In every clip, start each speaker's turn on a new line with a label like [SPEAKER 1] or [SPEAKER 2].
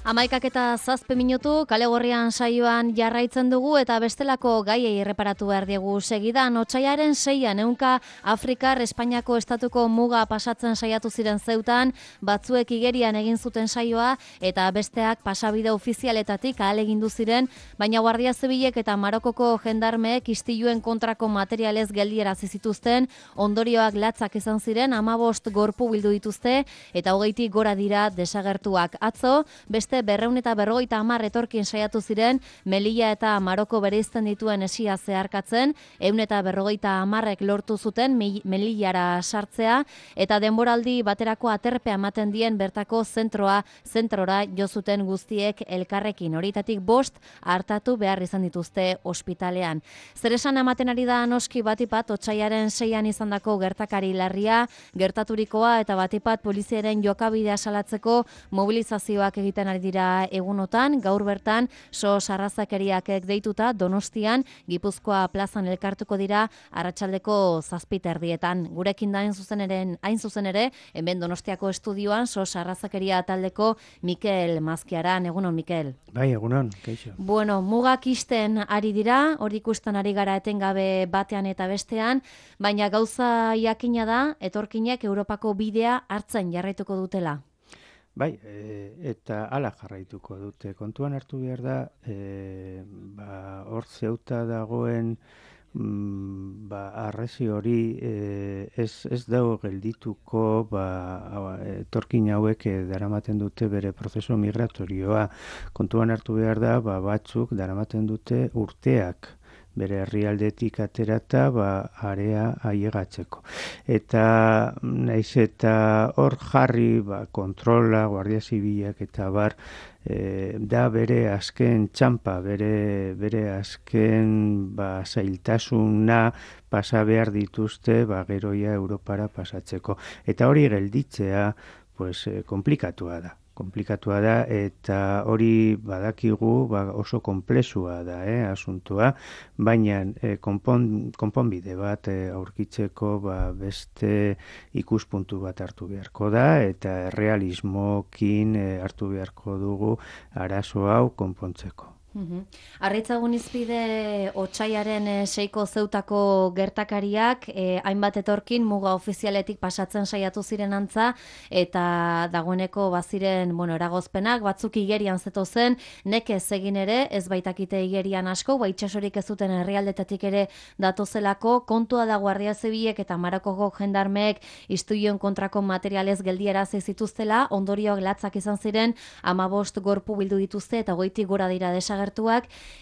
[SPEAKER 1] 11:07 kale gorrian saioan jarraitzen dugu eta bestelako gaiei erreparatu behar diegu segidan. Otsailaren 6an ehunka Afrikar Espainiako estatuko muga pasatzen saiatu ziren Zeutan, batzuek igerian egin zuten saioa eta besteak pasabide ofizialetatik ahalegindu ziren, baina Guardia Zibilek eta Marokoko jendarmeek istiluen kontrako materialez geldiarazi zituzten, ondorioak latzak izan ziren, 15 gorpu bildu dituzte eta 20tik gora dira desagertuak. Atzo, beste 250 etorkin saiatu ziren Melilla eta Maroko bereizten dituen esia zeharkatzen, 150ek lortu zuten Melillara sartzea eta denboraldi baterako aterpea ematen dien bertako zentrora jo zuten guztiek elkarrekin. Horietatik 5 hartatu behar izan dituzte ospitalean. Zer esan ematen ari da noski batipat otsailaren 6an izandako gertakari larria, gertaturikoa eta batipat poliziaren jokabidea salatzeko mobilizazioak egiten ari dira egunotan. Gaur bertan sarrazakeriak deituta Donostian Gipuzkoa plazan elkartuko dira arratsaldeko 7:00. Gurekin da hain zuzen ere hemen Donostiako estudioan sarrazakeria taldeko Mikel Mazkiaran. Egunon, Mikel.
[SPEAKER 2] Bai, egunon, kaixo.
[SPEAKER 1] Bueno, mugak isten ari dira, hori ikusten ari gara etengabe batean eta bestean, baina gauza jakina da etorkinek Europako bidea hartzen jarraituko dutela.
[SPEAKER 2] Bai, eta hala jarraituko dute. Kontuan hartu behar da, hor Zeuta dagoen arresi hori ez dago geldituko etorkin hauek daramaten dute bere prozesu migratorioa. Kontuan hartu behar da, batzuk daramaten dute urteak bere herrialdetik aterata area ailegatzeko. Eta naiz eta hor jarri kontrola, Guardia Zibilak eta da bere azken txampa, bere azken zailtasuna pasa behar dituzte geroia Europara pasatzeko. Eta hori gelditzea komplikatua da eta hori badakigu oso konplexua da asuntua, baina konponbide bat aurkitzeko beste ikuspuntu bat hartu beharko da eta errealismokin hartu beharko dugu arazo hau konpontzeko.
[SPEAKER 1] Arritzagun izpide otsailaren 6ko Zeutako gertakariak, hainbat etorkin muga ofizialetik pasatzen saiatu ziren antza, eta dagoeneko baziren eragozpenak, batzuk igerian zetozen, nekez egin ere, ez baitakite igerian asko, itsasorik ez zuten herrialdetatik ere datozelako, kontua da Guardia Zibilek eta Marokoko jendarmeek istiluen kontrako materialez geldiarazi zituztela, ondorioak latzak izan ziren, 15 gorpu bildu dituzte eta 20tik gora dira desagertuak,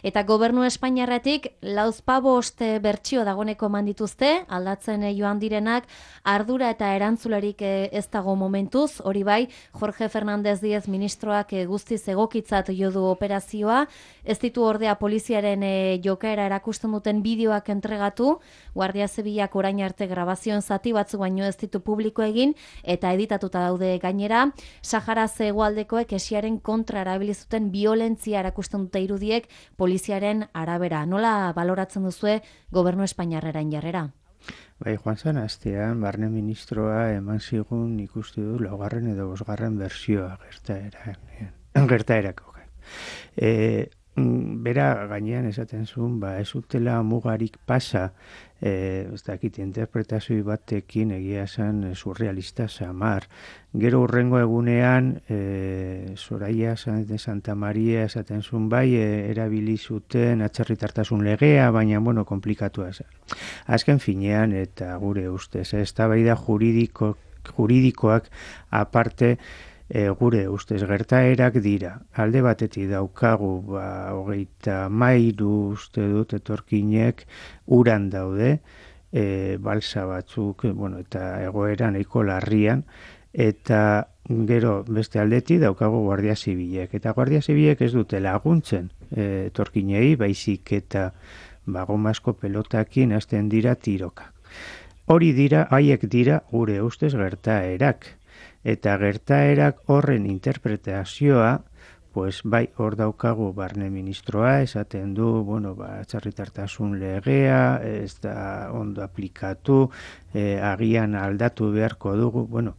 [SPEAKER 1] eta gobernu Espainiarretik 45 bertsio dagoeneko eman dituzte, aldatzen joan direnak, ardura eta erantzularik ez dago momentuz, hori bai, Jorge Fernández Díez ministroak guztiz egokitzat jo du operazioa, ez ditu ordea poliziaren jokaera erakusten duten bideoak entregatu, Guardia Zibilak orain arte grabazioen zati batzuk baino ez ditu publiko egin, eta editatuta daude gainera, Sahara hegoaldekoek esiaren kontra erabilizuten violentzia erakusten dute irudiek poliziaren arabera. Nola baloratzen duzue gobernu espainiarraren jarrera?
[SPEAKER 2] Bai, joan zen astean, barne ministroa eman zigun ikusti du 4. edo 5. bertsioa gertaerako. Bera gainean esaten zuen, ez utela mugarik pasa, ez dakit interpretazio batekin egia zen surrealista samar. Gero hurrengo egunean, Soraya de Santa Maria esaten zuen erabili zuten atzerritartasun legea, baina komplikatua zen. Azken finean eta gure ustez, eztabaida juridikoak aparte, gure ustez gertaerak dira. Alde batetik daukagu 33 uste dut etorkinek uran daude, balsa batzuk eta egoera nahiko larrian, eta gero beste aldetik daukagu Guardia Zibilek. Eta Guardia Zibilek ez dute laguntzen etorkinei, baizik eta gomazko pelotakin hasten dira tiroka. Haiek dira gure ustez gertaerak. Eta gertaerak horren interpretazioa, bai, hor daukagu barne ministroa, esaten du, atzerritartasun legea, ez da ondo aplikatu, agian aldatu beharko dugu,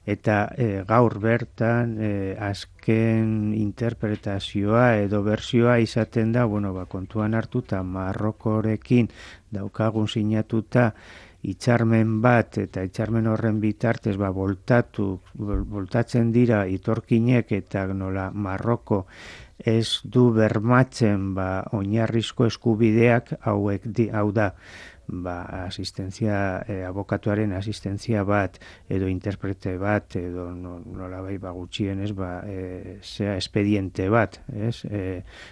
[SPEAKER 2] eta gaur bertan azken interpretazioa edo bersioa izaten da, kontuan hartuta Marrokorekin daukagun sinatuta hitzarmen bat, eta hitzarmen horren bitartez voltatzen dira itorkinek, eta nola Marroko ez du bermatzen oinarrizko eskubideak hau da, abokatuaren asistentzia bat, edo interprete bat, edo nolabait gutxienez, espediente bat,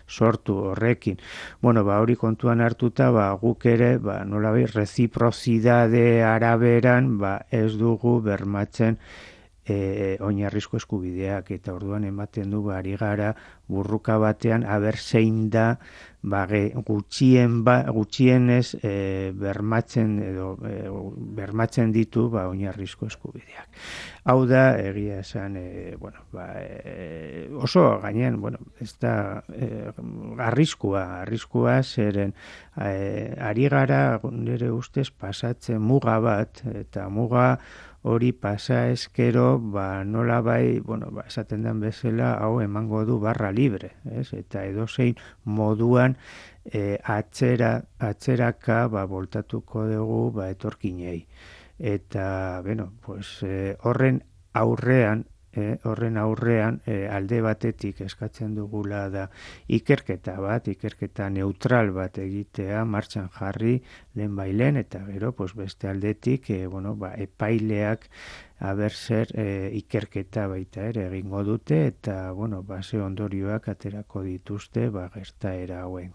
[SPEAKER 2] sortu horrekin. Hori kontuan hartuta, guk ere, nolabait reziprozidade araberan, ez dugu bermatzen oinarrizko eskubideak, eta orduan ematen du ari gara burruka batean aber zein da gutxienez bermatzen ditu oinarrizko eskubideak. Hau da, egia esan, oso gainean, ez da arriskua zeren ari gara nire ustez pasatzen muga bat, eta muga hori pasa ezkero, nola esaten den bezala, hau emango du barra libre, eta edozein moduan atzeraka voltatuko dugu etorkinei. Eta, horren aurrean, alde batetik eskatzen dugula da ikerketa neutral bat egitea, martxan jarri lehenbailen, eta gero beste aldetik epaileak zer ikerketa baita ere egingo dute, eta ze ondorioak aterako dituzte gertaera hauen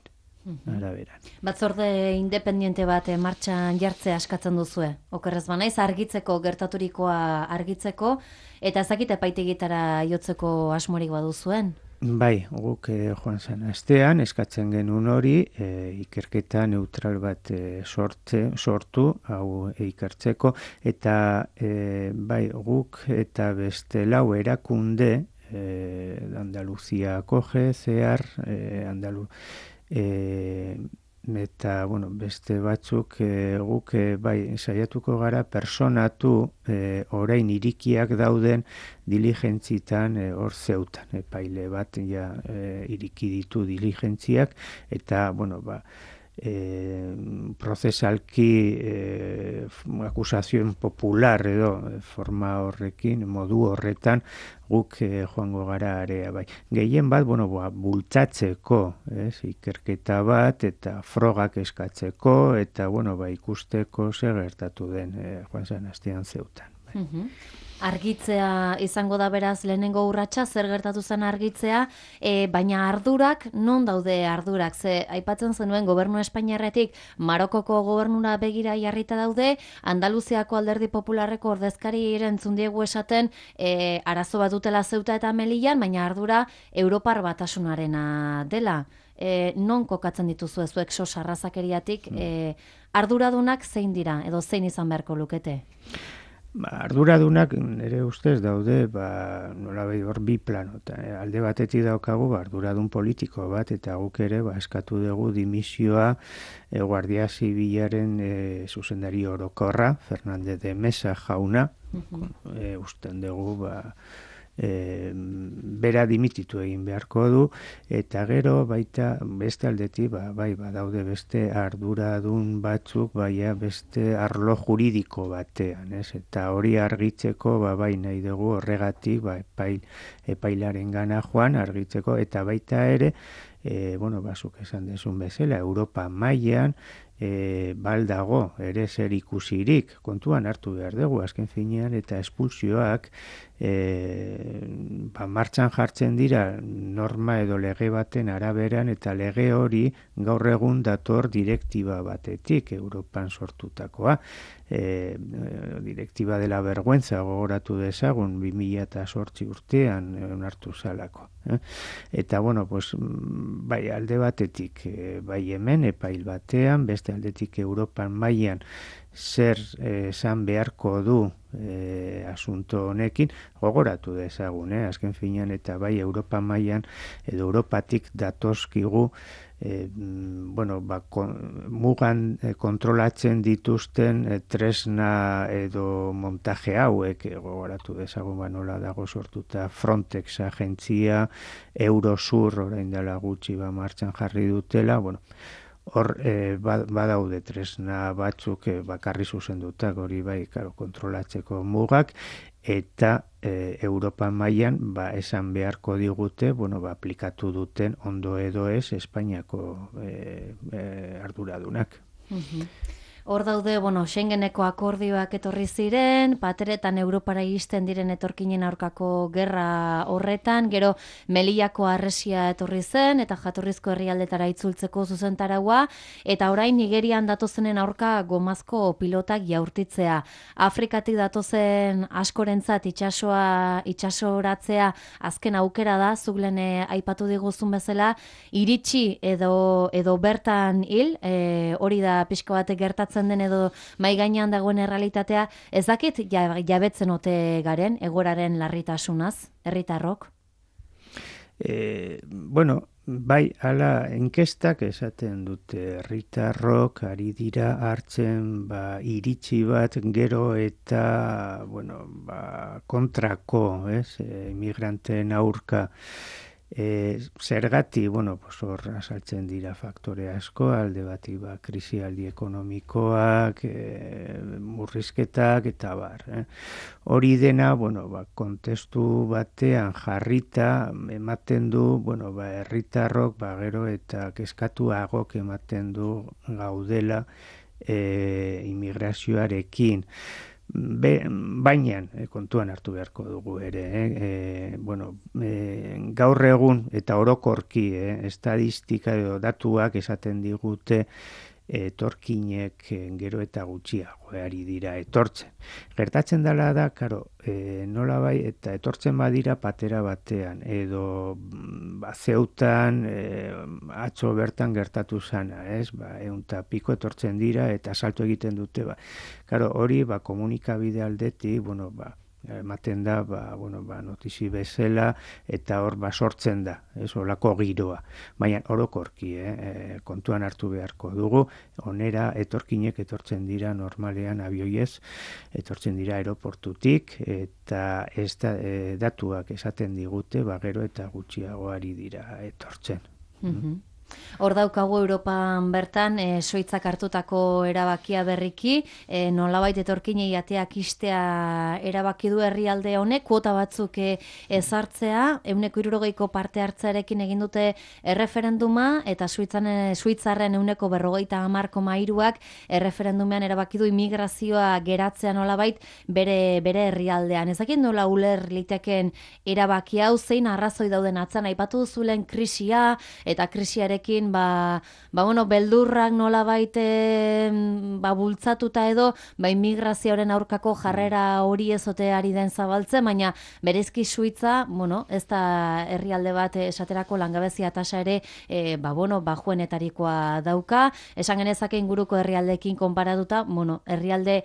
[SPEAKER 2] araberan.
[SPEAKER 1] Batzorde independiente bat martxan jartzea askatzen duzue. Okerrez banaiz, argitzeko, gertaturikoa argitzeko, eta ezakit epaitegitara jotzeko asmorik baduzuen?
[SPEAKER 2] Bai, guk joan zen astean eskatzen genuen hori, ikerketa neutral bat sortu, hau ikertzeko, eta guk eta beste lau erakunde, Andaluzia Acoge, CEAR, eta beste batzuk guk saiatuko gara personatu orain irikiak dauden diligentzitan hor zeutan, epaile bat iriki ditu diligentziak, eta prozesalki akusazioen popular edo forma horrekin, modu horretan guk joango gara area bai. Gehien bat, bultzatzeko, ikerketa bat, eta frogak eskatzeko, eta ikusteko zer gertatu den joan zen astean zeutan.
[SPEAKER 1] Argitzea izango da beraz lehenengo urratsa, zer gertatu zen argitzea, baina ardurak, non daude ardurak? Ze aipatzen zenuen gobernu espainiarretik Marokoko gobernura begira jarrita daude, Andaluziako Alderdi Popularreko ordezkari entzun diegu esaten arazo bat dutela Zeuta eta Melillan, baina ardura Europar Batasunarena dela. Non kokatzen dituzu zuek sos arrazakeriatik, arduradunak zein dira, edo zein izan beharko lukete?
[SPEAKER 2] Arduradunak nire ustez daude, nolabait hor bi plano. Alde batetik daukagu arduradun politiko bat, eta guk ere eskatu dugu dimisioa Guardia Zibilaren zuzendari orokorra, Fernández de Mesa jauna, usten dugu bera dimititu egin beharko du, eta gero baita beste aldetik badaude beste arduradun batzuk beste arlo juridiko batean, eta hori argitzeko bai nahi dugu horregatik epailaren gana joan argitzeko, eta baita ere zuk esan dezun bezala, Europa mailan baldago ere zer ikusirik, kontuan hartu behar dugu azken finean, eta espulsioak martxan jartzen dira norma edo lege baten araberan, eta lege hori gaur egun dator direktiba batetik, Europan sortutakoa, direktiba de la vergüenza gogoratu dezagun 2008 urtean onartu zalako. Eta bai alde batetik bai hemen epail batean, beste aldetik Europan mailan zer esan beharko du asunto honekin, gogoratu dezagun, azken finean, eta bai Europa mailan edo Europatik datozkigu mugan kontrolatzen dituzten tresna edo montaje hauek, gogoratu dezagun nola dago sortuta Frontex agentzia, Eurosur orain dela gutxi martxan jarri dutela, hor badaude tresna batzuk bakarri zuzendutak hori bai, kontrolatzeko mugak, eta Europa mailan esan beharko digute, aplikatu duten ondo edo ez Espainiako arduradunak.
[SPEAKER 1] Hor daude, Schengeneko akordioak etorri ziren, pateretan Europara iristen diren etorkinen aurkako gerra horretan, gero Melillako harresia etorri zen, eta jatorrizko herrialdetara itzultzeko zuzentaraua, eta orain Nigerian datozenen aurka gomazko pilotak jaurtitzea. Afrikatik datozen askorentzat itsasoratzea azken aukera da, zuk lehen aipatu diguzun bezala, iritsi edo bertan hil, hori da pixko batek gertatzen den edo mai gainean dagoen errealitatea, ez dakit jabetzen ote garen egoeraren larritasunaz, herritarrok?
[SPEAKER 2] Bai, hala inkestak esaten dute herritarrok ari dira hartzen iritsi bat gero eta kontrako, inmigranteen aurka. Zergati, hor asaltzen dira faktore asko, alde bati krisialdi ekonomikoak, murrizketak eta bar. Hori dena, kontestu batean jarrita ematen du, herritarrok gero eta kezkatuagok ematen du gaudela immigrazioarekin. Baina kontuan hartu beharko dugu ere, gaur egun eta orokorki estadistika edo datuak esaten digute etorkinek gero eta gutxiago ari dira etortzen. Gertatzen dela da, nola bai, eta etortzen badira patera batean, edo Zeutan atzo bertan gertatu zana, 100 piko etortzen dira eta salto egiten dute. Hori komunikabide aldetik, ematen da, notizi bezala, eta hor sortzen da, olako giroa. Baina orokorki, kontuan hartu beharko dugu, onera etorkinek etortzen dira normalean abioiez, etortzen dira aeroportutik, eta datuak esaten digute, gero eta gutxiago ari dira etortzen.
[SPEAKER 1] Hor daukagu Europan bertan, Suitzak hartutako erabakia berriki, nolabait etorkinei ateak istea erabaki du herrialde honek, kuota batzuk ezartzea, 160ko parte hartzearekin egin dute erreferenduma, eta Suitzarren 50,3%ak erreferendumean erabaki du immigrazioa geratzea nolabait bere herrialdean. Ezakit nola uler liteken erabaki hau, zein arrazoi dauden atzan, aipatu duzulen krisia eta krisiarekin beldurrak nolabait bultzatuta edo immigrazioaren aurkako jarrera hori ezote ari den zabaltzen, baina berezki Suitza, ez da herrialde bat esaterako langabezia tasa ere bajuenetarikoa dauka, esan genezake inguruko herrialdeekin konparatuta, herrialde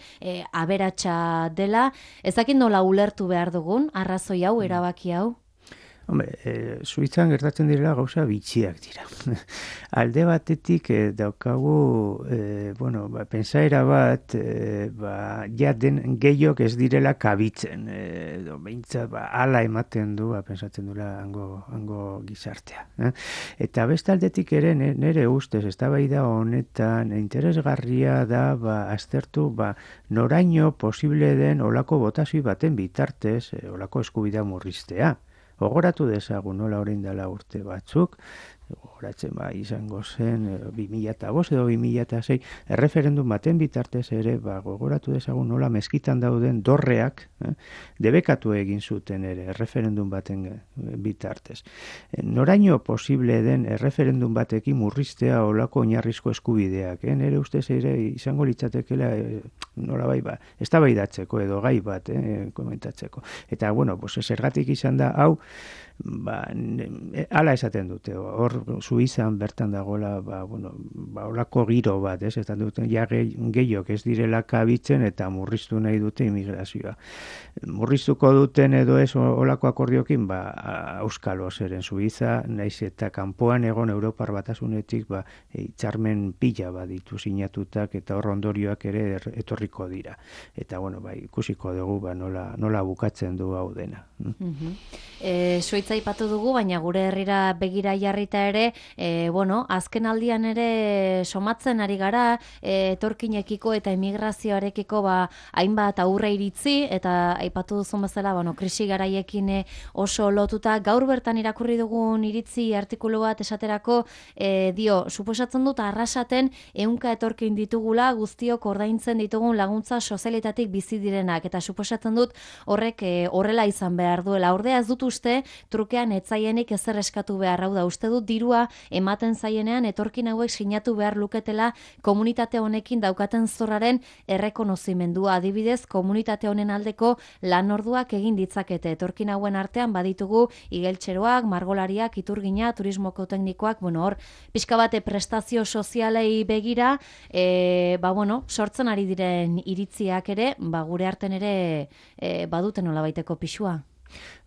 [SPEAKER 1] aberatsa dela. Ezakit nola ulertu behar dugun arrazoi hau, erabaki hau?
[SPEAKER 2] Suitzan gertatzen direla gauza bitxiak dira. Alde batetik daukagu, pentsaera bat, den gehiok ez direla kabitzen. Behintzat, ala ematen du, pentsatzen duela hango gizartea. Eta beste aldetik ere, nire ustez, eztabaida honetan, interesgarria da, aztertu, noraino posible den olako botazio baten bitartez, olako eskubidea murriztea. Gogoratu dezagun nola orain dela urte batzuk, gogoratzen izango zen 2005 edo 2006, erreferendum baten bitartez ere, gogoratu dezagun nola meskitan dauden dorreak, debekatu egin zuten ere, erreferendum baten bitartez. Noraino posible den erreferendum batekin murriztea olako oinarrizko eskubideak, nire ustez ere izango litzatekela nola eztabaidatzeko edo gai bat komentatzeko. Eta, zergatik izan da, hau, hala esaten dute, hor Suizan bertan dagoela, olako giro bat, ez duten ja gehiok ez direla kabitzen eta murriztu nahi dute immigrazioa. Murriztuko duten edo ez olako akordiokin, auskalo zeren Suiza, naiz eta kanpoan egon Europar Batasunetik hitzarmen pila baditu sinatutak eta hor ondorioak ere etorriko dira. Eta ikusiko dugu nola bukatzen du hau dena.
[SPEAKER 1] Suitza aipatu dugu, baina gure herrira begira jarrita ere, azken aldian ere somatzen ari gara, etorkinekiko eta emigrazioarekiko hainbat aurre iritzi, eta aipatu duzun bezala, krisi garaiekin oso lotuta, gaur bertan irakurri dugun iritzi artikulu bat esaterako, suposatzen dut arrasaten 100 etorkin ditugula guztiok ordaintzen ditugun laguntza sozialitatik bizi direnak, eta suposatzen dut horrek horrela izan behar duela. Ordea ez dut uste, trukean etzaienik ezer eskatu behar, hau da, uste dut dirua ematen zaienean etorkin hauek sinatu behar luketela komunitate honekin daukaten zorraren errekonozimendua. Adibidez, komunitate honen aldeko lan orduak egin ditzakete. Etorkin hauen artean baditugu igeltxeroak, margolariak, iturgina, turismoko teknikoak, hor, pixka bate prestazio sozialei begira, sortzen ari diren iritziak ere, gure arten ere baduten nolabaiteko pixua.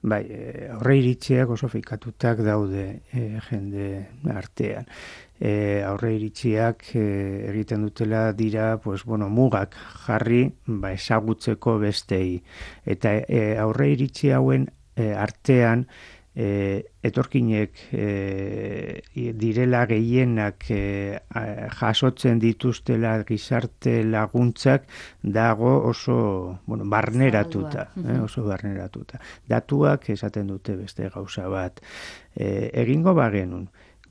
[SPEAKER 2] Aurre iritziak oso fikatutak daude jende artean. Aurre iritziak egiten dutela dira mugak jarri ezagutzeko bestei. Eta aurre iritzi hauen artean etorkinek direla gehienak jasotzen dituztela gizarte laguntzak dago oso barneratuta. Oso barneratuta. Datuak esaten dute beste gauza bat. Egingo bagenun,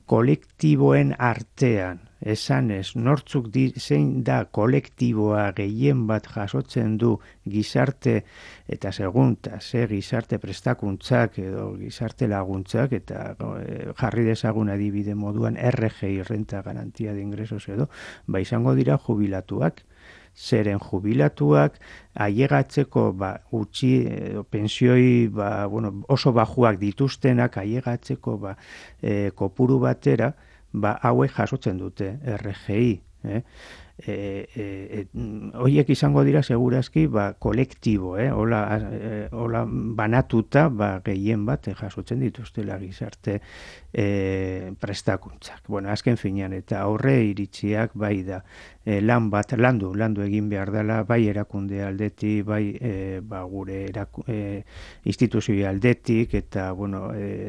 [SPEAKER 2] kolektiboen artean, esanez, nortzuk zein da kolektiboa gehien bat jasotzen du gizarte eta segunta, gizarte prestakuntzak edo gizarte laguntzak, eta jarri dezagun adibide moduan RGI, renta garantia de ingresos edo, izango dira jubilatuak. Zeren jubilatuak ailegatzeko gutxi pensioi oso bajuak dituztenak ailegatzeko kopuru batera hauek jasotzen dute RGI. Horiek izango dira segurazki kolektibo, hola banatuta gehien bat jasotzen dituztela gizarte prestakuntzak. Azken finean eta aurre iritziak da lan bat landu egin behar dela bai erakunde aldetik, gure instituzio aldetik, eta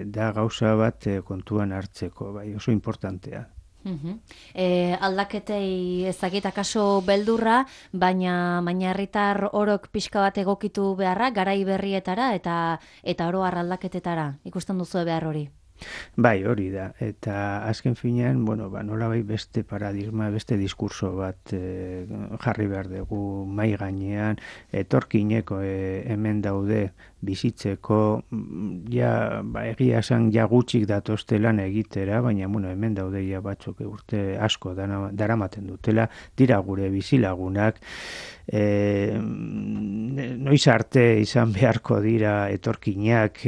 [SPEAKER 2] da gauza bat kontuan hartzeko, oso importantea.
[SPEAKER 1] Aldaketei ezagita kaso beldurra, baina herritar orok pixka bat egokitu beharra, garai berrietara eta oro har aldaketetara. Ikusten duzu behar hori?
[SPEAKER 2] Hori da. Eta azken finean, nolabai beste paradigma, beste diskurso bat jarri behar dugu mai gainean, etorkineko hemen daude bizitzeko, egia esan gutxik datozte lan egitera, baina hemen daude batzuk urte asko daramaten dutela, dira gure bizilagunak, noiz arte izan beharko dira etorkinak,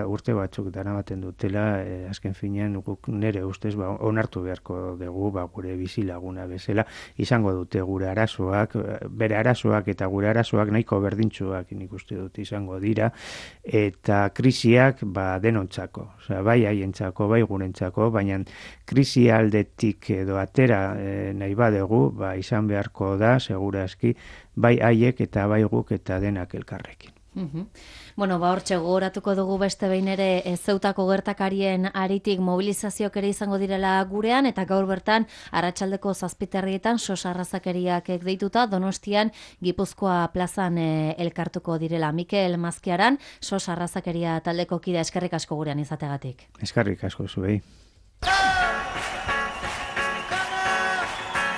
[SPEAKER 2] urte batzuk daramaten dutela, azken finean nire ustez onartu beharko dugu gure bizilaguna bezala, izango dute gure arazoak, bere arazoak eta gure arazoak nahiko berdintsuak nik uste dut izango dira, eta krisiak denontzako, bai haientzako, bai gurentzako, baina krisi aldetik edo atera nahi badegu, izan beharko da, segurazki, bai haiek eta bai guk eta denak elkarrekin.
[SPEAKER 1] Hortxe gogoratuko dugu beste behin ere Zeutako gertakarien aritik mobilizazioak ere izango direla gurean, eta gaur bertan arratsaldeko 7:00 sos arrazakeriak deituta Donostian Gipuzkoa plazan elkartuko direla. Mikel Mazkiaran, sos arrazakeria taldeko kide, eskerrik asko gurean izategatik.
[SPEAKER 2] Eskerrik asko zuei.